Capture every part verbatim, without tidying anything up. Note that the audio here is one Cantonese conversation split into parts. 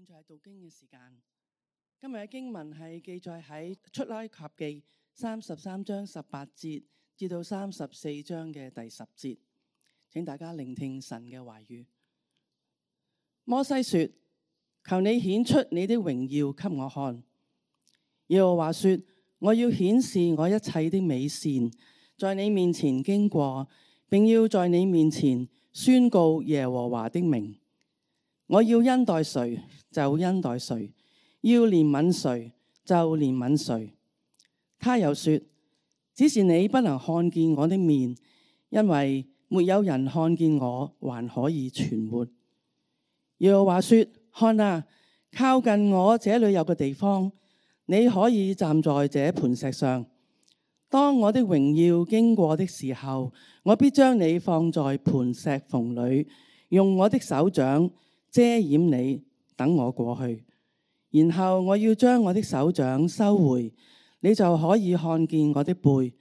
現在係讀經嘅時間。今日嘅經文係記載喺出埃及記三十三章十八節至到三十四章嘅第十節，請大家聆聽神嘅話語。摩西說：求你顯出你的榮耀給我看。耶和華說：我要顯示我一切的美善，在你面前經過，並要在你面前宣告耶和華的名。我要恩待誰就恩待誰，要憐憫誰就憐憫誰。他又說：只是你不能看見我的面，因為沒有人看見我還可以存活。耶和華說：看啊，靠近我這裏有個地方，你可以站在這磐石上。當我的榮耀經過的時候，我必將你放在磐石縫裏，用我的手掌遮掩你，等我過去。然後我要將我的手掌收回，你就可以看見我的背，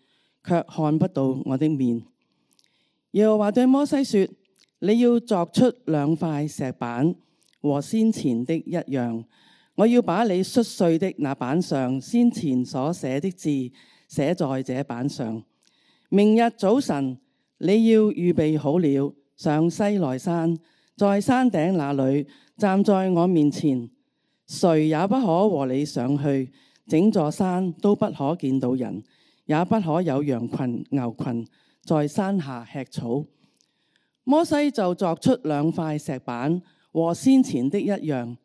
卻看不到我的面。耶和華對摩西說：你要鑿出兩塊石板，和先前的一樣。我要把你摔碎的那板上先前所寫的字寫在這板上。明日早晨你要預備好了，上西奈山，在山頂那裏站在我面前，誰也不可和你上去，整座山都不可見到人，也不可有羊群牛群在山下吃草。摩西就鑿出兩塊石板，和先前的一樣。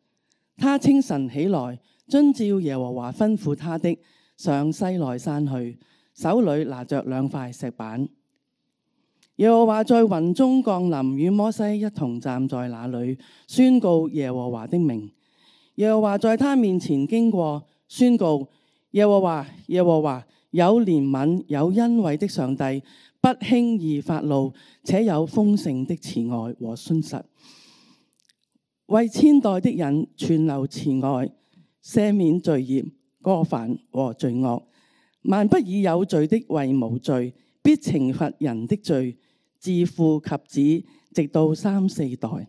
他清晨起來，遵照耶和華吩咐他的，上西奈山去，手裏拿着兩塊石板。耶和華在雲中降臨，與摩西一同站在那裏，宣告耶和華的名。耶和華在他面前經過，宣告：耶和華，耶和華，有憐憫有恩惠的上帝，不輕易發怒，且有豐盛的慈愛和信實，為千代的人存留慈愛，赦免罪孽過犯和罪惡，萬不以有罪的為無罪，必懲罰人的罪，自父及子，直到三四代。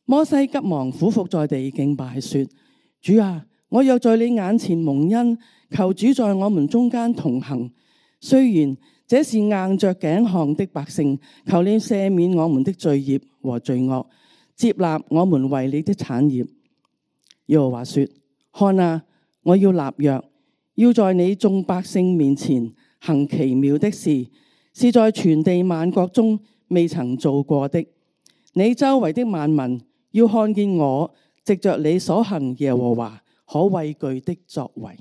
摩西急忙俯伏在地敬拜說：主啊，我又在你眼前蒙恩，求主在我們中間同行。雖然這是硬着頸項的百姓，求你赦免我們的罪孽和罪惡，接納我們為你的產業。耶和華說：看啊，我要立約，要在你眾百姓面前行奇妙的事，是在全地萬國中未曾做過的。你周圍的萬民要看見我藉着你所行耶和華可畏懼的作為。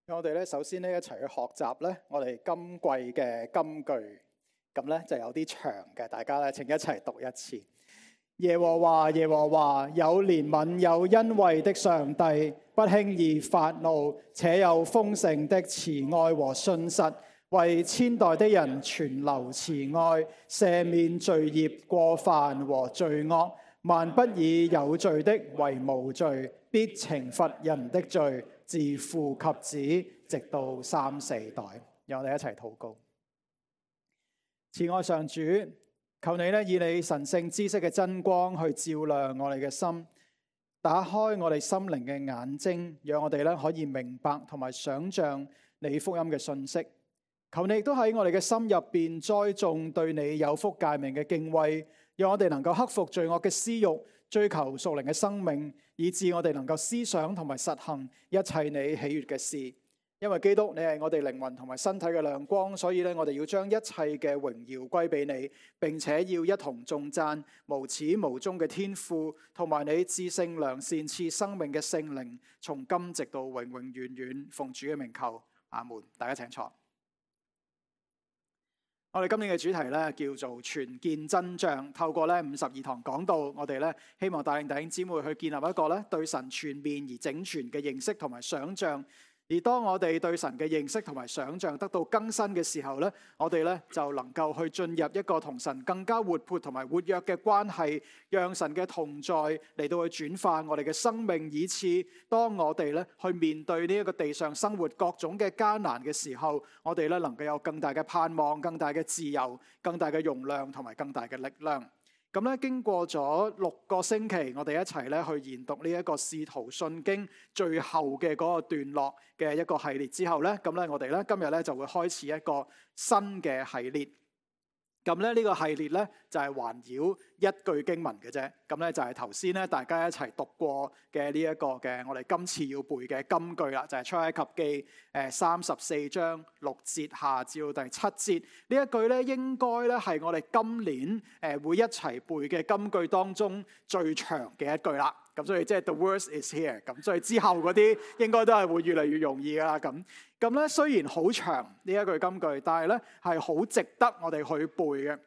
我哋咧首先咧一齊去學習咧，我哋今季嘅金句，咁咧就有啲長嘅，大家咧請一齊讀一次。耶和華，耶和華，有憐憫有恩惠的上帝，不輕易發怒，且有豐盛的慈愛和信實，為千代的人存留慈愛，赦免罪孽過犯和罪惡，萬不以有罪的為無罪，必懲罰人的罪，自父及子，直到三四代。讓我哋一齊禱告。慈愛上主，求你咧以你神聖知識嘅真光去照亮我哋嘅心，打開我哋心靈嘅眼睛，讓我哋咧可以明白同埋想象你福音嘅信息。求你亦都喺我哋嘅心入邊栽種對你有福誡命嘅敬畏，讓我哋能夠克服罪惡嘅私欲，追求屬靈嘅生命，以致我哋能夠思想同埋實行一切你喜悅嘅事。因為基督你係我哋靈魂同埋身體嘅亮光，所以咧我哋要將一切嘅榮耀歸俾你，並且要一同頌讚無始無終嘅天父，同埋你至聖良善賜生命嘅聖靈，從今直到永永遠遠。奉主嘅名求，阿門。大家請坐。我哋今年嘅主題咧叫做全見真像，透過咧五十二堂講道，我哋咧希望帶領弟兄姊妹去建立一個咧對神全面而整全嘅認識同埋想像。而當我哋對神嘅認識同埋想像得到更新嘅時候咧，我哋咧就能夠去進入一個同神更加活潑同埋活躍嘅關係，讓神嘅同在嚟到去轉化我哋嘅生命，以致當我哋咧去面對呢一個地上生活各種嘅艱難嘅時候，我哋咧能夠有更大嘅盼望、更大嘅自由、更大嘅容量同埋更大嘅力量。咁咧，經過咗六個星期，我哋一齊咧去研讀呢一個《使徒信經》最後嘅嗰個段落嘅一個系列之後咧，咁咧我哋咧今日咧就會開始一個新嘅系列。咁咧呢個系列咧就係環繞一句經文嘅啫。咁咧就係頭先咧大家一齊讀過嘅呢一個嘅我哋今次要背嘅金句啦，就係出埃及記誒三十四章六節下至到第七節。呢一句咧應該咧係我哋今年誒會一齊背嘅金句當中最長嘅一句啦。咁所以即係 the worst is here。咁所以之後嗰啲應該都係會越嚟越容易噶啦。咁咁咧雖然好長呢一句金句，但係咧係好值得我哋去背嘅，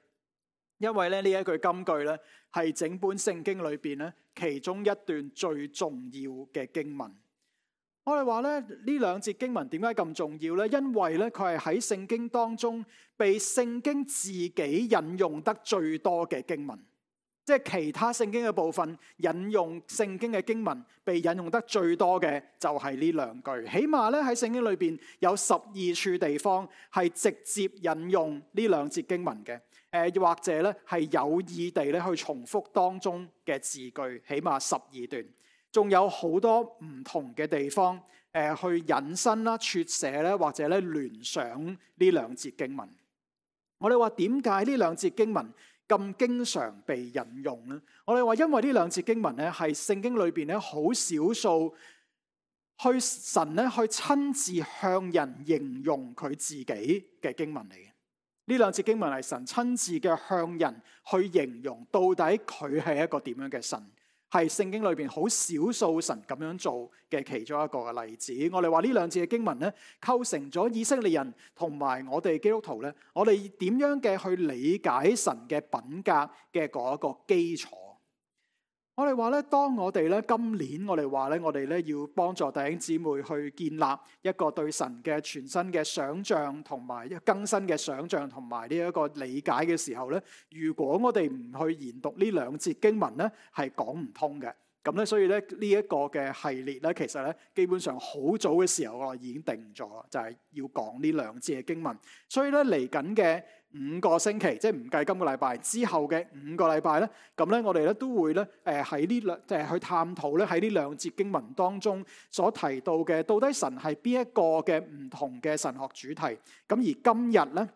因為咧呢一句金句咧係整本聖經裏邊咧其中一段最重要嘅經文。我哋話咧呢兩節經文點解咁重要咧？因為咧佢係喺聖經當中被聖經自己引用得最多嘅經文。即係其他聖經嘅部分引用聖經嘅經文被引用得最多嘅就係呢兩句，起碼咧喺聖經裏邊有十二處地方係直接引用呢兩節經文嘅，誒或者咧係有意地咧去重複當中嘅字句，起碼十二段，仲有好多唔同嘅地方誒去引申啦、撮寫咧或者咧聯想呢兩節經文。我哋話點解呢兩節經文咁經常被引用咧？我哋話因為呢兩節經文咧係聖經裏邊咧好少數去神咧去親自向人形容佢自己嘅經文嚟嘅。呢兩節經文係神親自嘅向人去形容到底佢係一個點樣嘅神，係聖經裏邊好少數神咁樣做嘅其中一個嘅例子。我哋話呢兩節嘅經文咧，構成咗以色列人同埋我哋基督徒咧，我哋點樣嘅去理解神嘅品格嘅嗰一個基礎。我哋話咧，當我哋咧今年我哋話咧，我哋咧要幫助弟兄姊妹去建立一個對神嘅全新嘅想像同埋更新嘅想像同埋呢一個理解嘅時候咧，如果我哋唔去研讀呢兩節經文咧，係講唔通嘅。咁咧，所以咧呢一個嘅系列咧，其實咧基本上好早嘅時候我已經定咗，就係要講呢兩節嘅經文。所以咧嚟緊嘅五個星期，即係唔計今個禮拜之後嘅五個禮拜咧，咁咧我哋咧都會咧誒喺呢兩即係去探討咧喺呢兩節經文當中所提到嘅，到底神係邊一個嘅唔同嘅神學主題。咁而今日咧，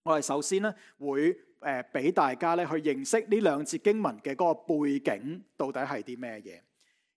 我哋首先咧會誒俾大家咧去認識呢兩節經文嘅嗰個背景到底係啲咩嘢。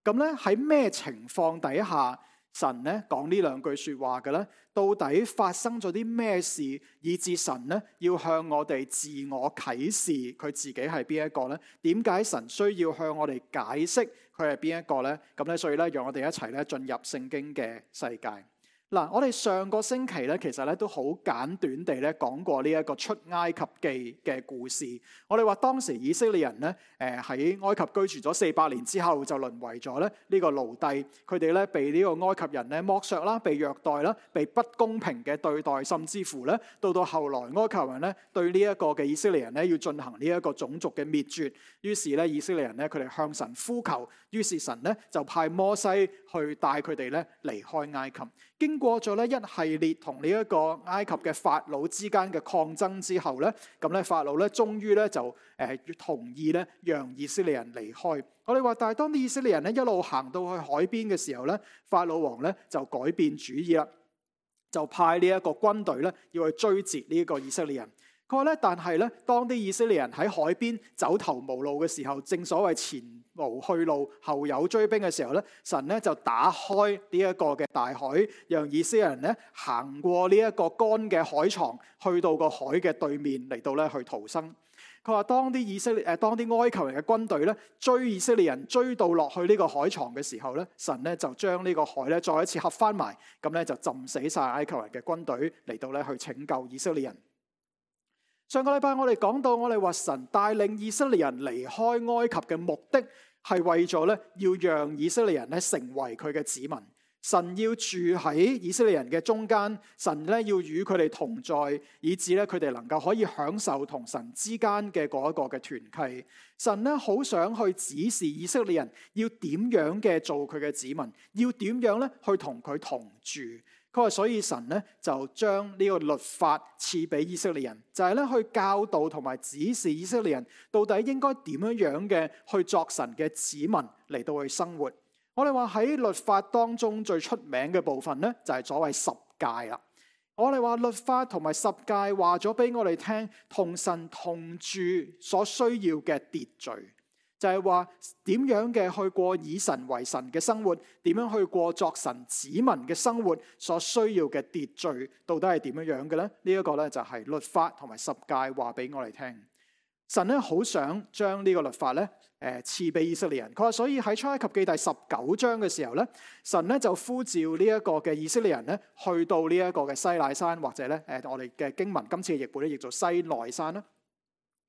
咁咧喺咩情況底下神咧講呢兩句說話嘅咧？到底發生咗啲咩事，以致神咧要向我哋自我啟示佢自己係邊一個咧？點解神需要向我哋解釋佢係邊一個咧？咁咧，所以咧，讓我哋一齊咧進入聖經嘅世界。嗱，我哋上個星期咧，其實咧都好簡短地咧講過呢一個出埃及記嘅故事。我哋話當時以色列人咧，誒喺埃及居住咗四百年之後，就淪為咗咧呢個奴隸。佢哋咧被呢個埃及人咧剝削啦，被虐待啦，被不公平嘅對待，甚至乎咧到到後來埃及人咧對呢一個嘅以色列人咧要進行呢一個種族嘅滅絕。於是咧以色列人咧佢哋向神呼求，於是神咧就派摩西去帶佢哋咧離開埃及。經過咗咧一系列同呢一個埃及嘅法老之間嘅抗爭之後咧，咁咧法老咧終於咧就誒同意咧讓以色列人離開。我哋話，但係當啲以色列人咧一路行到去海邊嘅時候咧，法老王咧就改變主意啦，就派呢一個軍隊咧要去追截呢一個以色列人。佢話咧，但係咧，當啲以色列人喺海邊走投無路嘅時候，正所謂前無去路，後有追兵嘅時候咧，神咧就打開呢一個嘅大海，讓以色列人咧行過呢一個乾嘅海床，去到個海嘅對面嚟到咧去逃生。佢話當啲以色列誒，當啲埃及人嘅軍隊咧追以色列人追到落去呢個海床嘅時候咧，神咧就將呢個海咧再一次合翻埋，咁咧就浸死晒埃及人嘅軍隊嚟到咧去拯救以色列人。上個禮拜我哋講到，我哋話神帶領以色列人離開埃及嘅目的係為咗咧，要讓以色列人咧成為佢嘅子民。神要住喺以色列人嘅中間，神咧要與佢哋同在，以致咧佢哋能夠可以享受同神之間嘅嗰一個嘅團契。神咧好想去指示以色列人要點樣嘅做佢嘅子民，要點樣咧去同佢同住。佢話所以神咧就將呢個律法賜俾以色列人，就係咧去教導同埋指示以色列人到底應該點樣樣嘅去作神嘅子民嚟到去生活。我哋話喺律法當中最出名嘅部分咧，就係所謂十誡啦。我哋話律法同埋十誡話咗俾我哋聽，同神同住所需要嘅秩序。就係話點樣嘅去過以神為神嘅生活，點樣去過作神子民嘅生活所需要嘅秩序，到底係點樣樣嘅咧？呢、這、一個咧就係律法同埋十誡話俾我哋聽。神咧好想將呢個律法咧誒賜俾以色列人。佢話所以喺出埃及記第十九章嘅時候咧，神咧就呼召呢一個嘅以色列人咧去到呢一個嘅西乃山，或者咧誒我哋嘅經文今次嘅譯本咧譯做西奈山啦。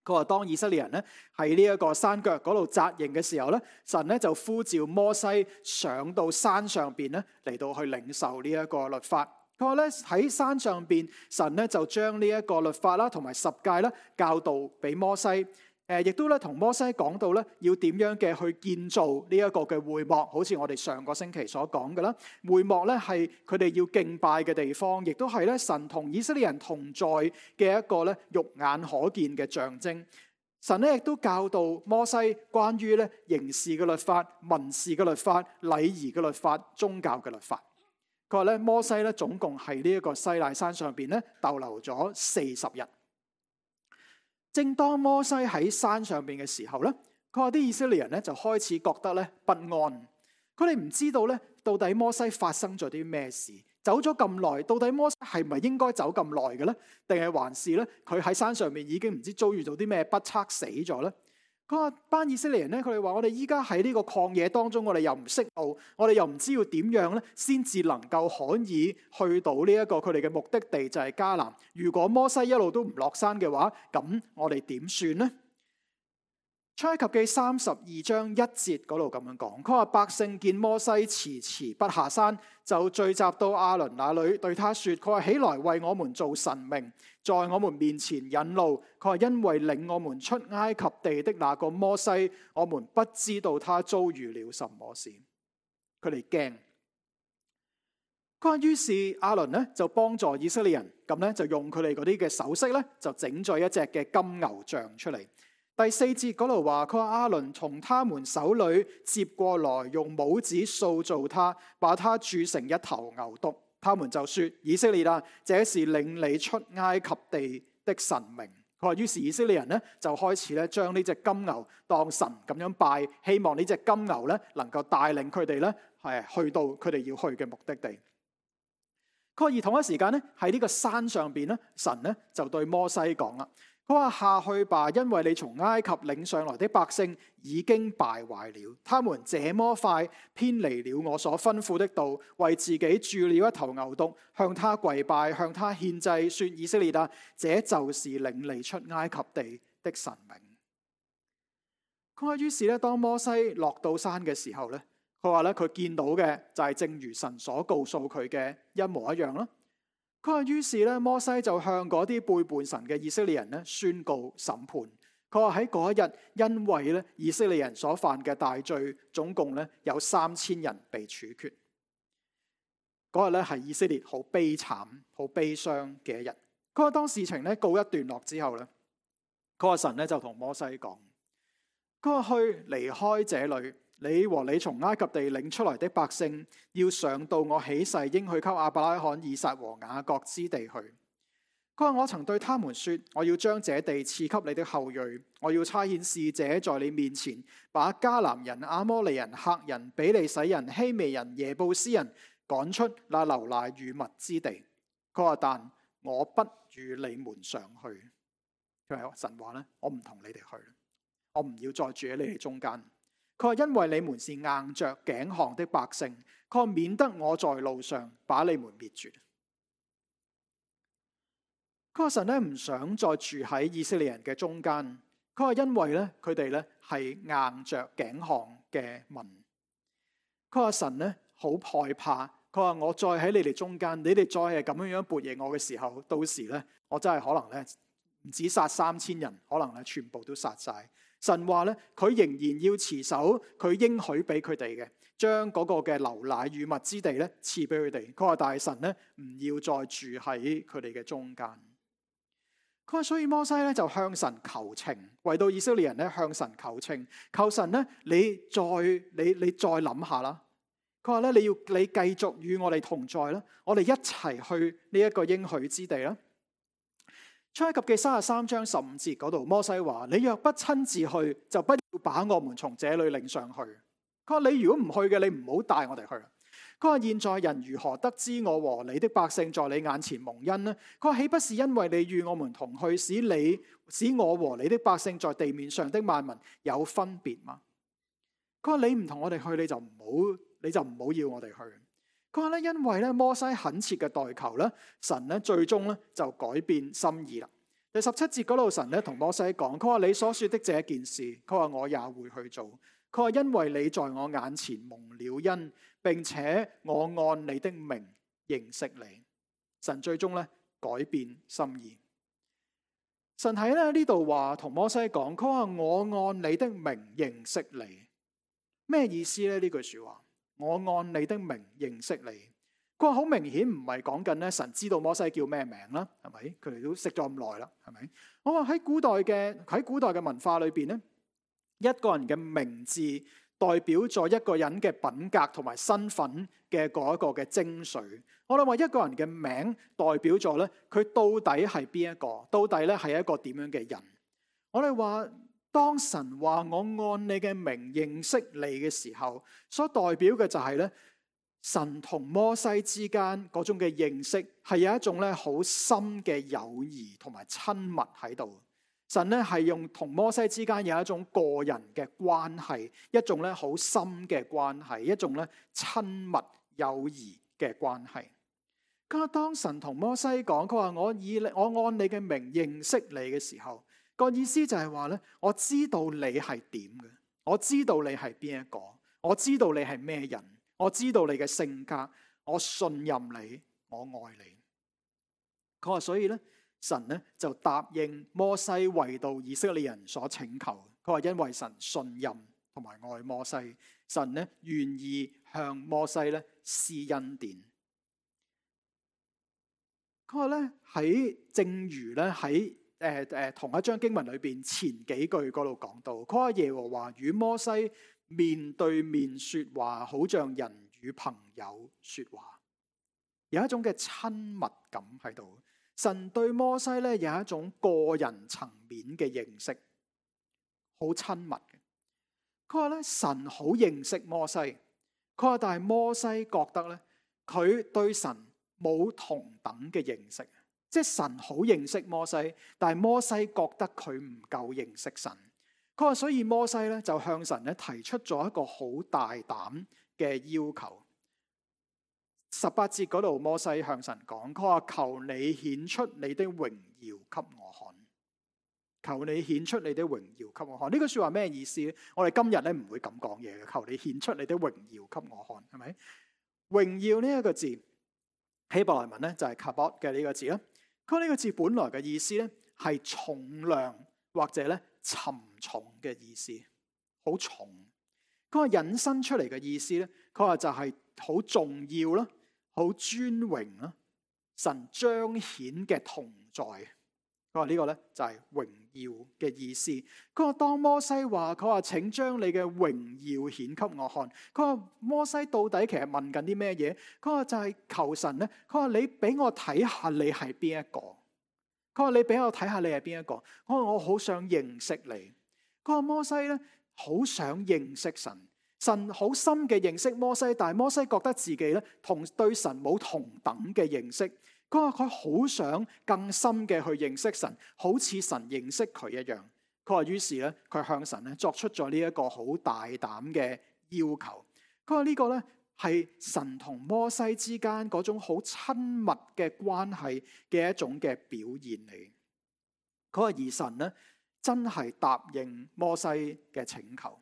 佢話當以色列人咧喺呢一個山腳嗰度紮營嘅時候咧，神咧就呼召摩西上到山上邊咧嚟到去領受呢一個律法。佢話咧喺山上邊，神咧就將呢一個律法啦同埋十誡啦教導俾摩西。誒，亦都咧同摩西講到咧要點樣嘅去建造呢一個嘅會幕，好似我哋上個星期所講嘅啦。會幕咧係佢哋要敬拜嘅地方，亦都係咧神同以色列人同在嘅一個咧肉眼可見嘅象徵。神咧亦都教導摩西關於咧刑事嘅律法、民事嘅律法、禮儀嘅律法、宗教嘅律法。佢話咧摩西咧總共係呢一個西奈山上邊咧逗留咗四十日。正當摩西喺山上邊嘅時候咧，佢話啲以色列人咧就開始覺得咧不安。佢哋唔知道咧到底摩西發生咗啲咩事，走咗咁耐，到底摩西係咪應該走咁耐嘅咧？定係還是咧佢喺山上面已經唔知遭遇到啲咩不測死咗咧？佢話班以色列人咧，佢哋話我哋依家喺呢個曠野當中，我哋又唔識路，我哋又唔知要點樣咧，先至能夠可以去到呢一個佢哋嘅目的地，就係迦南。如果摩西一路都唔落山嘅話，咁我哋點算呢？出埃及記三十二章一節嗰度咁樣講，佢話百姓見摩西遲遲不下山，就聚集到亞倫那裏，對他說：佢話起來為我們做神明，在我們面前引路。佢話因為領我們出埃及地的那個摩西，我們不知道他遭遇了什麼事。佢哋驚。佢話於是亞倫呢就幫助以色列人，咁呢就用佢哋嗰啲嘅首飾呢，就整咗一隻嘅金牛像出嚟。第四節嗰度話，佢話亞倫從他們手裏接過來，用帽子塑造他，把他鑄成一頭牛犢。他們就說：以色列啊，這是領你出埃及地的神明。佢話於是以色列人呢就開始咧將呢隻金牛當神咁樣拜，希望呢隻金牛咧能夠帶領佢哋咧係去到佢哋要去嘅目的地。佢話而同一時間咧喺呢個山上邊咧，神咧就對摩西講啦。佢話下去吧，因為你從埃及領上來的百姓已經敗壞了，他們這麼快偏離了我所吩咐的道，為自己鑄了一頭牛犢，向他跪拜，向他獻祭，說：以色列啊，這就是領你出埃及地的神明。佢話於是咧，當摩西落到山嘅時候咧，佢話咧佢見到嘅就係正如神所告訴佢嘅一模一樣啦。佢話於是咧，摩西就向嗰啲背叛神嘅以色列人咧宣告審判。佢話喺嗰一日，因為咧以色列人所犯嘅大罪，總共咧有三千人被處決。嗰日咧係以色列好悲慘、好悲傷嘅一日。佢話當事情咧告一段落之後咧，佢話神咧就同摩西講：佢話去離開這裏。你和你從埃及地領出來的百姓，要上到我起誓應許給亞伯拉罕、以撒和雅各之地去。佢話我曾對他們說，我要將這地賜給你的後裔，我要差遣使者在你面前，把迦南人、亞摩利人、赫人、比利洗人、希未人、耶布斯人趕出那流奶與蜜之地。佢話但我不與你們上去。佢話神話咧，我唔同你哋去，我唔要再住喺你哋中間。佢話因為你們是硬着頸項的百姓，佢話免得我在路上把你們滅絕。佢話神咧唔想再住喺以色列人嘅中間。佢話因為咧佢哋咧係硬着頸項嘅民。佢話神咧好害怕佢話我再喺你哋中間，你哋再係咁樣樣悖逆我嘅時候，到時咧我真係可能咧唔止殺三千人，可能咧全部都殺晒。神話咧佢仍然要持守佢應許俾佢哋嘅，將嗰個嘅流奶與蜜之地咧賜俾佢哋。佢話大神咧唔要再住喺佢哋嘅中間。佢話所以摩西咧就向神求情，為到以色列人咧向神求情，求神咧你再你你再諗下啦。佢話咧你要你繼續與我哋同在啦，我哋一齊去呢一個應許之地啦。出埃及記三十三章十五節嗰度，摩西話：你若不親自去，就不要把我們從這裏領上去。佢話你如果唔去嘅，你唔好帶我哋去。佢話現在人如何得知我和你的百姓在你眼前蒙恩呢？佢話豈不是因為你與我們同去，使你使我和你的百姓在地面上的萬民有分別嗎？佢話你唔同我哋去，你就唔好你就唔好要我哋去。佢話咧，因為咧摩西懇切嘅代求咧，神咧最終咧就改變心意啦。第十七節嗰度，神咧同摩西講：佢話你所說的這件事，佢話我也會去做。佢話因為你在我眼前蒙了恩，並且我按你的名認識你。神最終咧改變心意。神喺咧呢度話同摩西講：佢話我按你的名認識你。咩意思咧？呢句說話？我按你的名認識你，佢話好明顯唔係講緊咧神知道摩西叫咩名啦，係咪？佢哋都識咗咁耐啦，係咪？我話喺古代嘅喺古代嘅文化裏邊咧，一個人嘅名字代表咗一個人嘅品格同埋身份嘅嗰一個嘅精髓。我哋話一個人嘅名代表咗咧，佢到底係邊一個？到底咧係一個點樣嘅人？我哋話。當神話我按你嘅名認識你嘅時候，所代表嘅就係咧，神同摩西之間嗰種嘅認識係有一種咧好深嘅友誼同埋親密喺度。神咧係用同摩西之間有一種個人嘅關係，一種咧好深嘅關係，一種咧親密友誼嘅關係。咁當神同摩西講，佢話我以我按你嘅名認識你嘅時候。個意思就係話咧，我知道你係點嘅，我知道你係邊一個，我知道你係咩人，我知道你嘅性格，我信任你，我愛你。佢話所以咧，神咧就答應摩西為到以色列人所請求。佢話因為神信任同埋愛摩西，神咧願意向摩西咧施恩典。佢話咧喺正如咧喺。誒誒，同一章經文裏邊前幾句嗰度講到，佢話耶和華與摩西面對面說話，好像人與朋友說話，有一種嘅親密感喺度。神對摩西咧有一種個人層面嘅認識，好親密嘅。佢話咧神好認識摩西，佢話但係摩西覺得咧佢對神冇同等嘅認識。即係神好認識摩西，但係摩西覺得佢唔夠認識神。佢話所以摩西咧就向神咧提出咗一個好大膽嘅要求。十八節嗰度，摩西向神講，佢話求你顯出你的榮耀給我看。求你顯出你的榮耀給我看。呢句說話咩意思咧？我哋今日咧唔會咁講嘢嘅。求你顯出你的榮耀給我看，係咪？榮耀呢一個字希伯來文咧就係 kabod 嘅呢個字啦。佢呢個字本來嘅意思咧係重量或者咧沉重嘅意思，好重。佢話引申出嚟嘅意思咧，佢話就係好重要啦，好尊榮啦，神彰顯嘅同在。佢話呢個咧就係榮耀嘅意思。佢話當摩西話佢話請將你嘅榮耀顯給我看。佢話摩西到底其實問緊啲咩嘢？佢話就係求神咧。佢話你俾我睇下你係邊一個。佢話你俾我睇下你係邊一個。佢話我好想認識你。佢話摩西咧好想認識神。神好深嘅認識摩西，但係摩西覺得自己咧同對神冇同等嘅認識。佢話佢好想更深嘅去認識神，好似神認識佢一樣。佢話於是咧，佢向神咧作出咗呢一個好大膽嘅要求。佢話呢個咧係神同摩西之間嗰種好親密嘅關係嘅一種嘅表現嚟。佢話而神咧真係答應摩西嘅請求。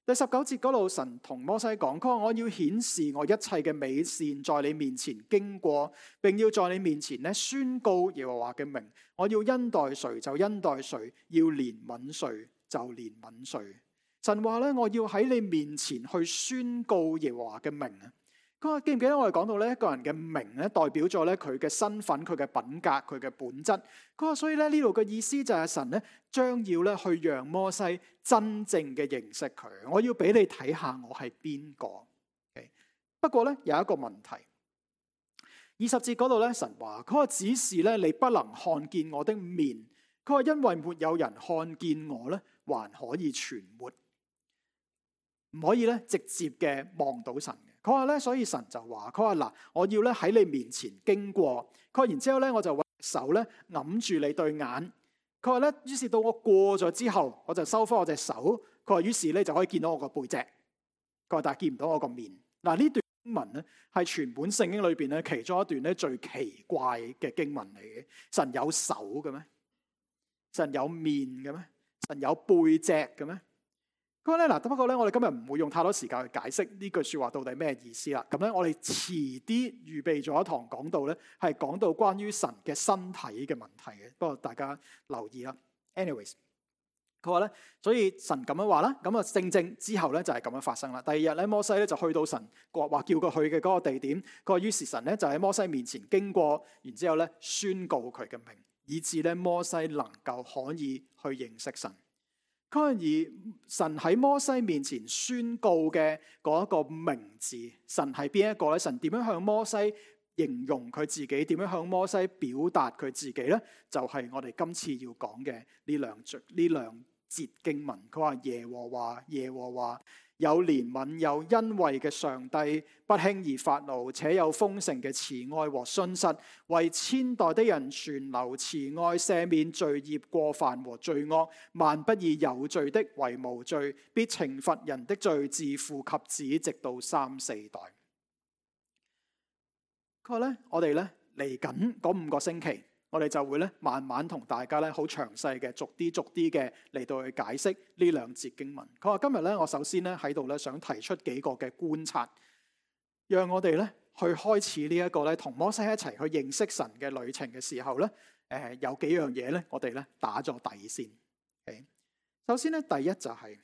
第十九節嗰度，神同摩西講：佢話我要顯示我一切嘅美善在你面前經過，並要在你面前咧宣告耶和華嘅名。我要恩待誰就恩待誰，要憐憫誰就憐憫誰。神話咧，我要喺你面前去宣告耶和華嘅名啊！佢話記唔記得我哋講到咧，一個人嘅名咧代表咗咧佢嘅身份、佢嘅品格、佢嘅本質。佢話所以咧呢度嘅意思就係神咧將要咧去讓摩西真正嘅認識佢。我要俾你睇下我係邊個。Okay? 不過咧有一個問題，二十節嗰度咧神話佢話只是咧你不能看見我的面。佢話因為沒有人看見我咧，還可以存活，唔可以咧直接嘅望到神。佢話咧，所以神就話：佢話嗱，我要咧喺你面前經過。佢話然之後咧，我就揾手咧揞住你對眼。佢話咧，於是到我過咗之後，我就收翻我隻手。佢話於是咧就可以見到我個背脊。佢話但係見唔到我個面。嗱，呢段經文咧係全本聖經裏邊咧其中一段咧最奇怪嘅經文嚟嘅。神有手嘅咩？神有面嘅咩？神有背脊嘅咩？咁咧嗱，不過咧，我哋今日唔會用太多時間去解釋呢句說話到底咩意思啦。咁咧，我哋遲啲預備咗一堂講道咧，係講到關於神嘅身體嘅問題嘅。不過大家留意啦。anyways， 佢話咧，所以神咁樣話啦，咁啊正正之後咧就係咁樣發生啦。第二日咧，摩西咧就去到神話叫佢去嘅嗰個地點。佢話於是神咧就喺摩西面前經過，然之後咧宣告佢嘅名，以致咧摩西能夠可以去認識神。而神喺摩西面前宣告嘅嗰一個名字，神係邊一個咧？神點樣向摩西形容佢自己？點樣向摩西表達佢自己咧？就係、是、我哋今次要講嘅呢兩句呢兩節經文。佢話耶和華耶和華有憐憫有恩惠嘅上帝，不輕易發怒，且有豐盛嘅慈愛和信實，為千代的人存留慈愛，赦免罪孽過犯和罪惡，萬不以有罪的為無罪，必懲罰人的罪，自父及子，直到三四代。佢話咧，我哋咧嚟緊嗰五個星期，我哋就會咧慢慢同大家咧好詳細嘅逐啲逐啲嘅嚟到去解釋呢兩節經文。佢話今日咧，我首先咧喺度咧想提出幾個嘅觀察，讓我哋咧去開始呢一個咧同摩西一齊去認識神嘅旅程嘅時候咧，誒有幾樣嘢咧，我哋咧打咗底先。Okay? 首先咧，第一就係、是、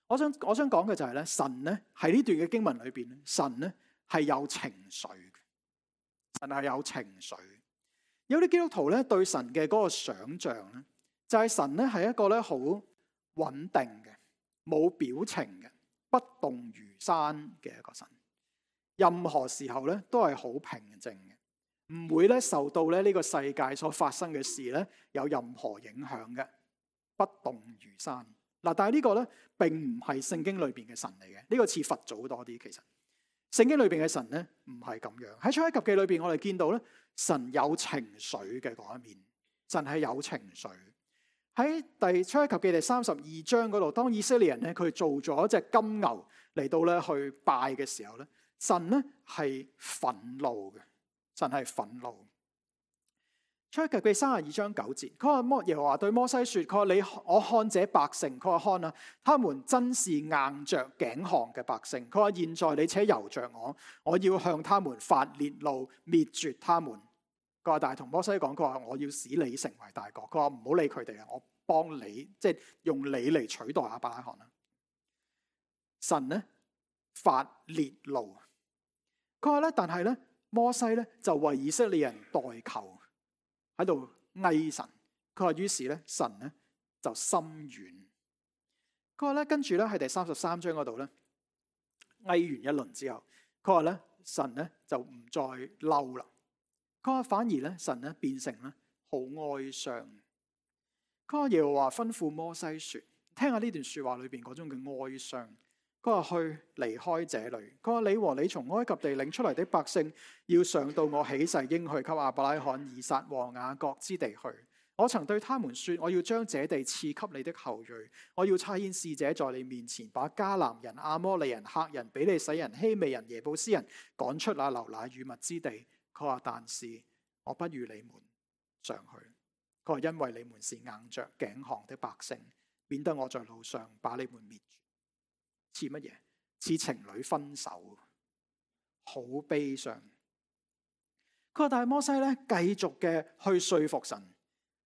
我想我想講嘅就係咧，神咧喺呢段嘅經文裏邊，神咧係有情緒嘅，神係有情緒。有啲基督徒咧對神嘅嗰個想像咧，就係神咧係一個咧好穩定嘅、冇表情嘅、不動如山嘅一個神。任何時候咧都係好平靜嘅，唔會咧受到咧呢個世界所發生嘅事咧有任何影響嘅，不動如山。嗱，但係呢個咧並唔係聖經裏邊嘅神嚟嘅，呢個似佛祖多啲。其實聖經裏邊嘅神咧唔係咁樣。喺出埃及記裏邊，我哋見到咧。神有情緒嘅嗰一面，神係有情緒。喺第出埃及記第三十二章嗰度，當以色列人咧佢做咗一隻金牛嚟到咧去拜嘅時候咧，神咧係憤怒嘅，神係憤怒。出埃及記三十二章九節，佢話摩耶和華對摩西說：佢話你我看這百姓，佢話看啊，他們真是硬着頸項嘅百姓。佢話現在你且由着我，我要向他們發烈怒，滅絕他們。佢話但係同摩西講，佢話我要使你成為大國。佢話唔好理佢哋啊，我幫你，即係用你嚟取代亞伯拉罕啊。神咧發烈怒，佢話咧，但係咧摩西咧就為以色列人代求。喺度哀神，佢話於是咧神咧就心軟。佢話咧跟住咧喺第三十三章嗰度咧哀完一輪之後，佢話咧神咧就唔再嬲啦。佢話反而咧神咧變成咧好哀傷。佢話耶和華吩咐摩西說，聽下呢段說話裏邊嗰種嘅哀傷。佢話去離開這裏。佢話你和你從埃及地領出嚟的百姓，要上到我起誓應許給亞伯拉罕、以撒和雅各之地去。我曾對他們說，我要將這地賜給你的後裔。我要差遣使者在你面前，把迦南人、亞摩利人、赫人、比利洗人、希未人、耶布斯人趕出那流奶與蜜之地。佢話但是我不與你們上去。佢話因為你們是硬着頸項的百姓，免得我在路上把你們滅絕。似乜嘢？似情侶分手，好悲傷。佢話但係摩西咧繼續嘅去說服神，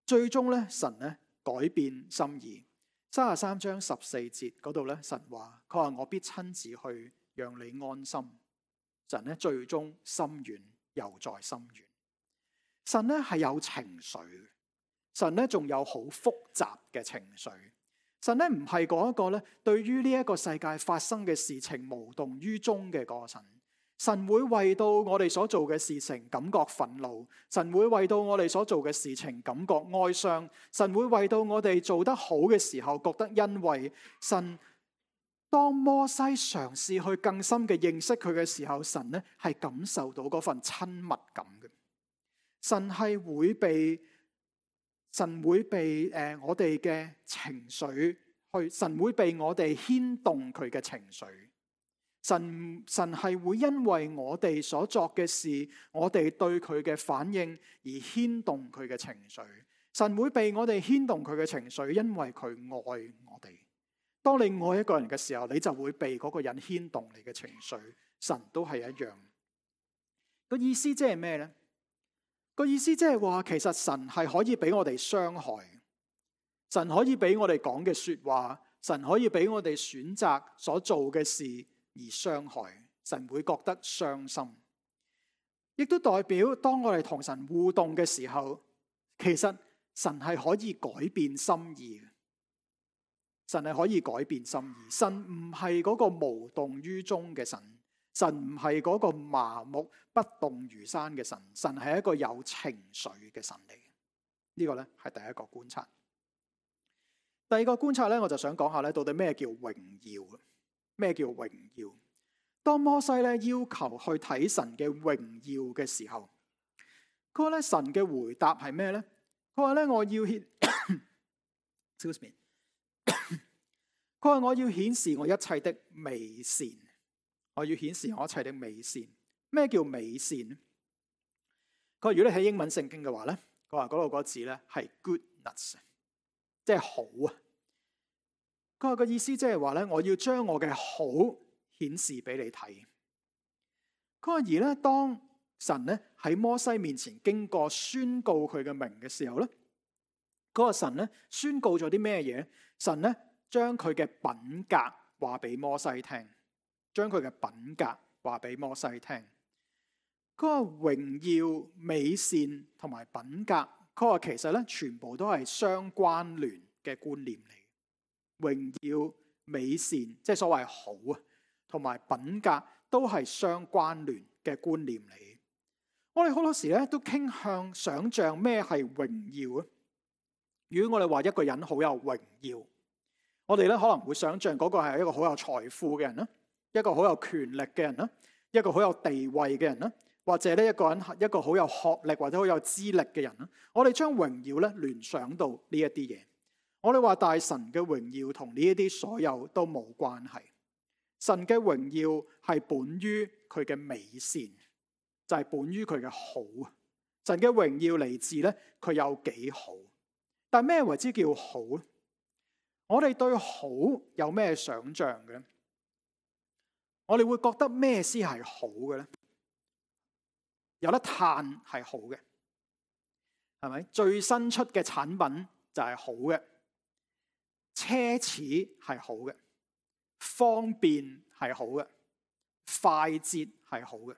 最終咧神咧改變心意。三十三章十四節嗰度咧，神話佢話我必親自去讓你安心。神咧最終心軟又再心軟。神咧係有情緒，神咧仲有好複雜嘅情緒。神咧唔係嗰一個咧對於呢一個世界發生嘅事情無動於衷嘅嗰個神。神會為到我哋所做嘅事情感覺憤怒，神會為到我哋所做嘅事情感覺哀傷，神會為到我哋做得好嘅時候覺得欣慰。神當摩西嘗試去更深嘅認識佢嘅時候，神咧係感受到嗰份親密感嘅。神係會被神會被誒、呃、我哋嘅情緒去，神會被我哋牽動佢嘅情緒。神神係會因為我哋所作嘅事，我哋對佢嘅反應而牽動佢嘅情緒。神會被我哋牽動佢嘅情緒，因為佢愛我哋。當你愛一個人嘅時候，你就會被嗰個人牽動你嘅情緒。神都係一樣。個意思即係咩呢？個意思即係話，其實神係可以俾我哋傷害，神可以俾我哋講嘅說話，神可以俾我哋選擇所做嘅事而傷害，神會覺得傷心。亦都代表當我哋同神互動嘅時候，其實神係可以改變心意嘅。神係可以改變心意。神唔係嗰個無動於衷嘅神，神唔係嗰個麻木不動如山嘅神，神係一個有情緒嘅神嚟。呢個咧係第一個觀察。第二個觀察咧，我就想講下咧，到底咩叫榮耀？咩叫榮耀？當摩西咧要求去睇神嘅榮耀嘅時候，佢話咧神嘅回答係咩咧？佢話咧我要顯，excuse me，佢話我要顯示我一切的美善，我要顯示我一切的美善。咩叫美善？佢話如果你喺英文聖經嘅話咧，佢話嗰度嗰個字咧係 goodness， 即係好啊。佢話個意思即係話咧，我要將我嘅好顯示俾你睇。佢話而咧，當神咧喺摩西面前經過宣告佢嘅名嘅時候咧，嗰個神咧宣告咗啲咩嘢？神咧將佢嘅品格話俾摩西聽，將佢嘅品格話俾摩西聽。佢話榮耀、美善同埋品格，佢話其實咧全部都係相關聯嘅觀念嚟。榮耀、美善，即係所謂好啊，同埋品格都係相關聯嘅觀念嚟。我哋好多時咧都傾向想象咩係榮耀啊？如果我哋話一個人好有榮耀，我哋咧可能會想象嗰個係一個好有財富嘅人啦，一個好有權力嘅人啦，一個好有地位嘅人啦，或者呢一個人一個好有學歷或者好有資歷嘅人啦。我哋將榮耀咧聯想到呢一啲嘢。我哋話大神嘅榮耀同呢一啲所有都冇關係。神嘅榮耀係本於佢嘅美善，就係本於佢嘅好。神嘅榮耀嚟自咧佢有幾好。但咩為之叫好？我哋對好有咩想象嘅？我哋會覺得咩先係好嘅咧？有得嘆係好嘅，係咪？最新出嘅產品就係好嘅。奢侈係好嘅，方便係好嘅，快捷係好嘅，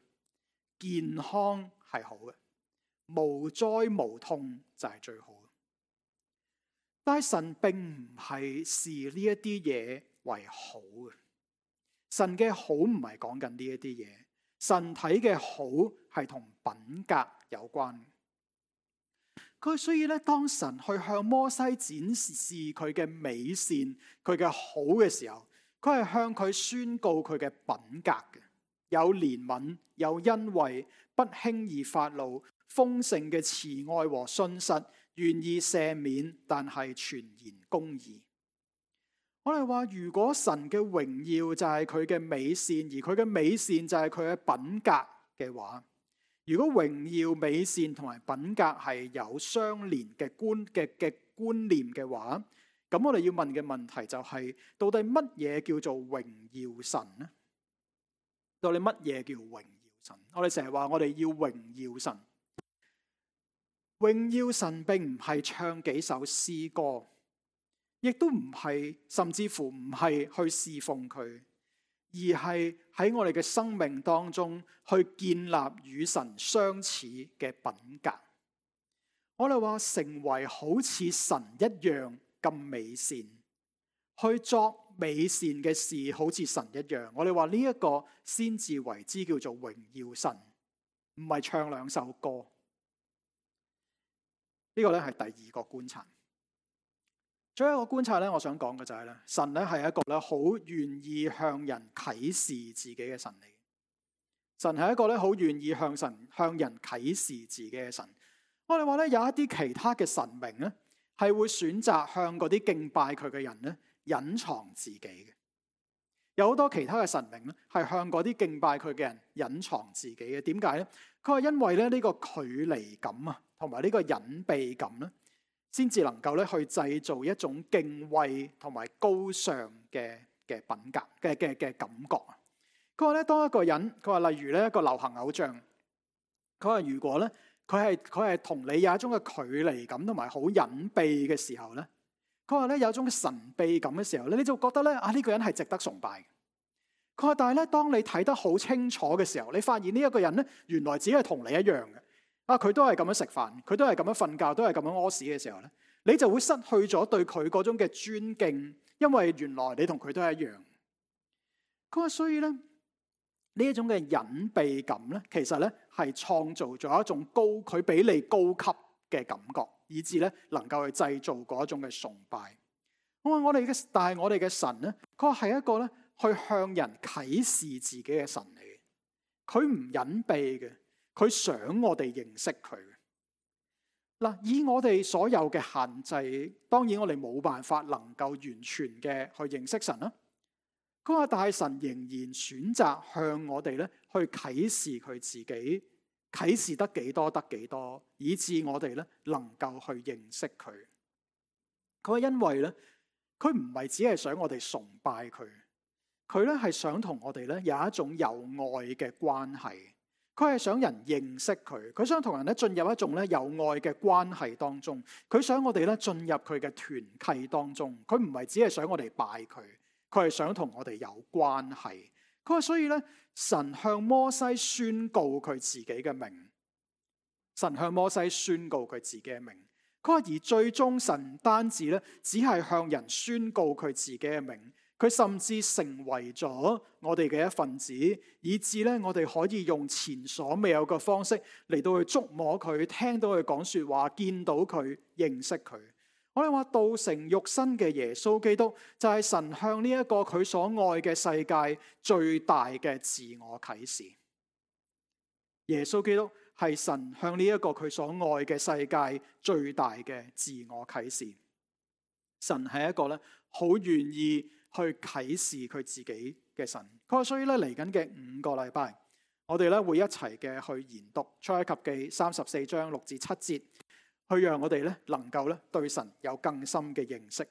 健康係好嘅，無災無痛就係最好嘅。但係神並唔係視呢一啲嘢為好嘅。神嘅好唔係講緊呢一啲嘢，神睇嘅好係同品格有關。佢所以咧，當神去向摩西展示佢嘅美善、佢嘅好嘅時候，佢係向佢宣告佢嘅品格嘅，有憐憫、有恩惠、不輕易發怒、豐盛嘅慈愛和信實，願意赦免，但係全然公義。我哋話，如果神嘅榮耀就係佢嘅美善，而佢嘅美善就係佢嘅品格嘅話，如果榮耀、美善同埋品格係有相連嘅觀嘅嘅觀念嘅話，咁我哋要問嘅問題就係，到底乜嘢叫做榮耀神呢？到底乜嘢叫榮耀神？我哋成日話我哋要榮耀神，榮耀神並唔係唱幾首詩歌，亦都唔係，甚至乎唔係去侍奉佢，而係喺我哋嘅生命當中去建立與神相似嘅品格。我哋話成為好似神一樣咁美善，去作美善嘅事，好似神一樣。我哋話呢一個先至為之叫做榮耀神，唔係唱兩首歌。呢個咧係第二個觀察。最後一個觀察咧，我想講嘅就係咧，神咧係一個咧好願意向人啟示自己嘅神嚟。神係一個咧好願意向神向人啟示自己嘅神。我哋話咧，有一啲其他嘅神明咧，係會選擇向嗰啲敬拜佢嘅人咧隱藏自己嘅。有好多其他嘅神明咧，係向嗰啲敬拜佢嘅人隱藏自己嘅。點解咧？佢話因為咧呢個距離感啊，同埋呢個隱秘感咧，先至能夠咧去製造一種敬畏同埋高尚嘅嘅品格嘅嘅嘅感覺啊。佢話咧，當一個人，佢話例如咧一個流行偶像，佢話如果咧。佢係佢係同你有一種嘅距離感同埋好隱秘嘅時候咧，佢話咧有一種神秘感嘅時候咧，你就覺得咧啊呢個人係值得崇拜嘅。佢話但係咧，當你睇得好清楚嘅時候，你發現呢一個人咧原來只係同你一樣嘅，啊佢都係咁樣食飯，佢都係咁樣瞓覺，都係咁樣屙屎嘅時候咧，你就會失去咗對佢嗰種嘅尊敬，因為原來你同佢都係一樣。佢話所以咧。呢一種嘅隱秘感咧，其實咧係創造咗一種高佢比你高級嘅感覺，以致咧能夠去製造嗰一種嘅崇拜。我話我哋嘅，但係我哋嘅神咧，佢係一個咧去向人啟示自己嘅神嚟嘅。佢唔隱秘嘅，佢想我哋認識佢。嗱，以我哋所有嘅限制，當然我哋冇辦法能夠完全嘅去認識神啦。佢話但係神仍然選擇向我哋咧去啟示佢自己，啟示得幾多得幾多，以致我哋咧能夠去認識佢。佢話因為咧，佢唔係只係想我哋崇拜佢，佢咧係想同我哋咧有一種有愛嘅關係。佢係想人認識佢，佢想同人咧進入一種咧有愛嘅關係當中。佢想我哋咧進入佢嘅團契當中。佢唔係只係想我哋拜佢。佢係想同我哋有關係。佢話所以咧，神向摩西宣告佢自己嘅名。神向摩西宣告佢自己嘅名。佢話而最終神唔單止咧，只係向人宣告佢自己嘅名，佢甚至成為咗我哋嘅一份子，以致咧我哋可以用前所未有嘅方式嚟到去觸摸佢，聽到佢講說話，見到佢，認識佢。我哋話道成肉身嘅耶穌基督就係神向呢一個佢所愛嘅世界最大嘅自我啟示。耶穌基督係神向呢一個佢所愛嘅世界最大嘅自我啟示。神係一個咧好願意去啟示佢自己嘅神。佢話所以咧嚟緊嘅五個禮拜，我哋咧會一齊嘅去研讀出埃及記三十四章六至七節。去讓我哋咧能夠咧對神有更深嘅認識，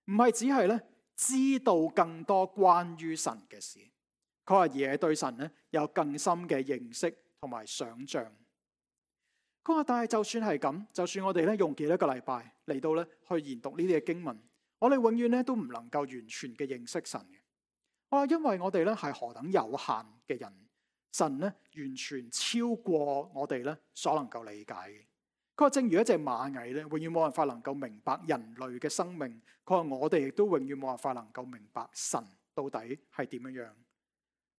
唔係只係咧知道更多關於神嘅事，佢話而係對神咧有更深嘅認識同埋想象。佢話但係就算係咁，就算我哋咧用幾多個禮拜嚟到咧去研讀呢啲嘅經文，我哋永遠咧都唔能夠完全嘅認識神嘅。我話因為我哋咧係何等有限嘅人，神咧完全超過我哋咧所能夠理解嘅。佢話正如一隻螞蟻咧，永遠冇辦法能夠明白人類嘅生命。佢話我哋亦都永遠冇辦法能夠明白神到底係點樣樣。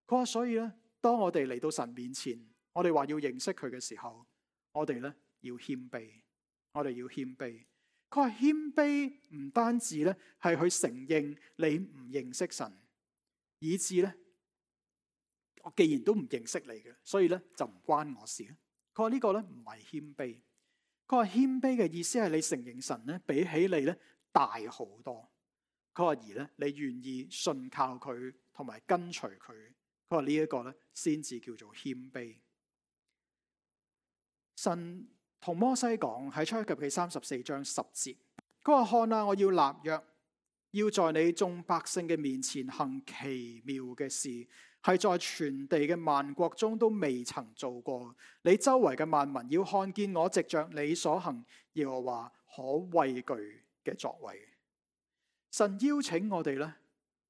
佢話所以咧，當我哋嚟到神面前，我哋話要認識佢嘅時候，我哋咧要謙卑，我哋要謙卑。佢話謙卑唔單止咧係去承認你唔認識神，以致咧我既然都唔認識你嘅，所以咧就唔關我事。佢話呢個咧唔係謙卑。佢話謙卑嘅意思係你承認神咧比起你咧大好多。佢話而咧你願意信靠佢同埋跟隨佢。佢話呢一個咧先至叫做謙卑。神同摩西講喺出埃及記三十四章十節，佢話：看啊，我要立約，要在你眾百姓嘅面前行奇妙嘅事，係在全地嘅萬國中都未曾做過。你周圍嘅萬民要看見我藉着你所行耶和華可畏懼嘅作為。神邀請我哋咧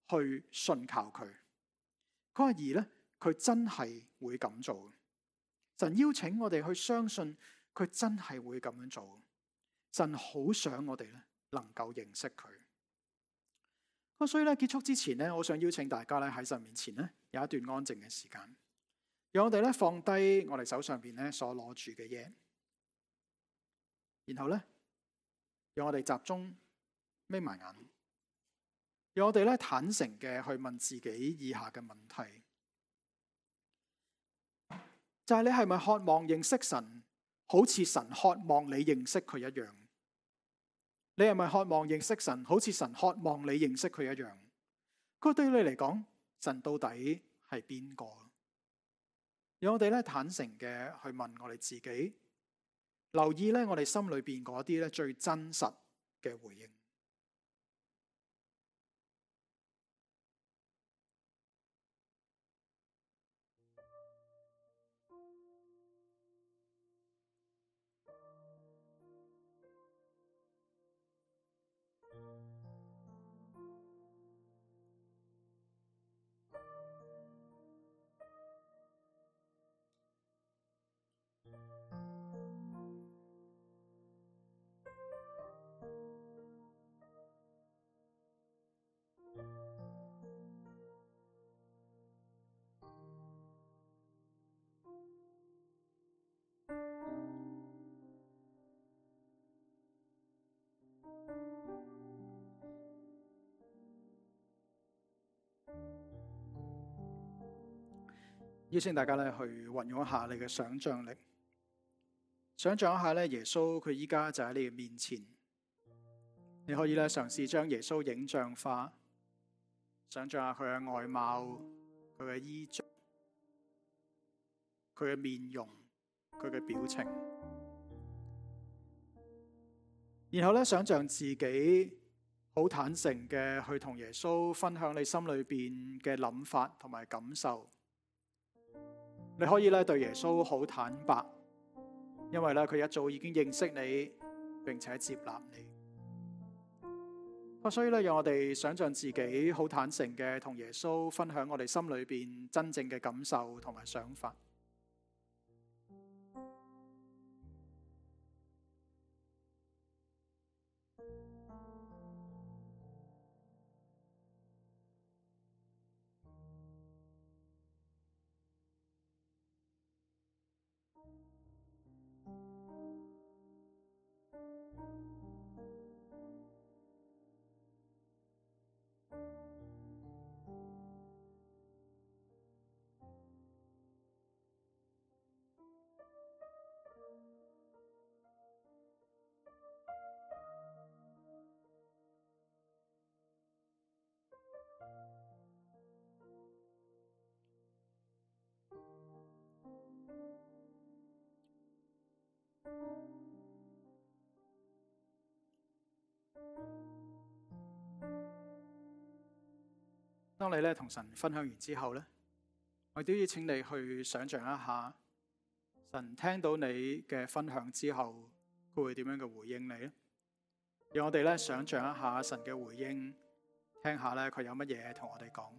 去信靠佢。佢話而咧，佢真係會咁做。神邀請我哋去相信佢真係會咁樣做。神好想我哋咧能夠認識佢。咁所以咧，結束之前咧，我想邀請大家咧喺神面前咧有一段安靜嘅時間，讓我哋咧放低我哋手上邊咧所攞住嘅嘢，然後咧讓我哋集中眯埋眼，讓我哋咧坦誠嘅去問自己以下嘅問題。就係你係咪渴望認識神，好似神渴望你認識佢一樣？你係咪渴望認識神，好似神渴望你認識佢一樣？佢對你嚟講，神到底係邊個？讓我哋咧坦誠嘅去問我哋自己，留意咧我哋心裏邊嗰啲咧最真實嘅回應。邀請大家咧去運用一下你嘅想象力，想象一下咧耶穌佢依家就喺你嘅面前，你可以咧嘗試將耶穌影像化，想象下佢嘅外貌、佢嘅衣着、佢嘅面容、佢嘅表情，然後咧想象自己好坦誠嘅去同耶穌分享你心裏邊嘅諗法同埋感受。你可以咧對耶穌好坦白，因為咧佢一早已經認識你，並且接納你。所以咧，讓我哋想象自己好坦誠嘅同耶穌分享我哋心裏邊真正嘅感受同埋想法。當你咧同神分享完之後咧，我都要請你去想象一下，神聽到你嘅分享之後，佢會點樣嘅回應你咧？讓我哋咧想象一下神嘅回應，聽下咧佢有乜嘢同我哋講。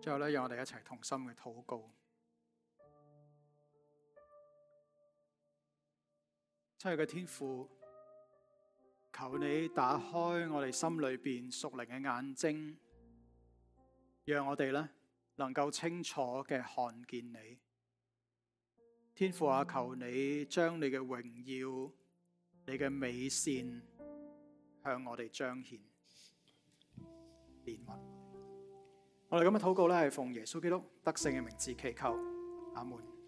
最後咧，讓我哋一齊同心嘅禱告。親愛嘅天父，求你打開我哋心裏邊屬靈嘅眼睛，讓我哋咧能夠清楚嘅看見你。天父啊，求你將你嘅榮耀、你嘅美善向我哋彰顯、憐憫。我哋咁嘅禱告咧，係奉耶穌基督得勝嘅名字祈求，阿門。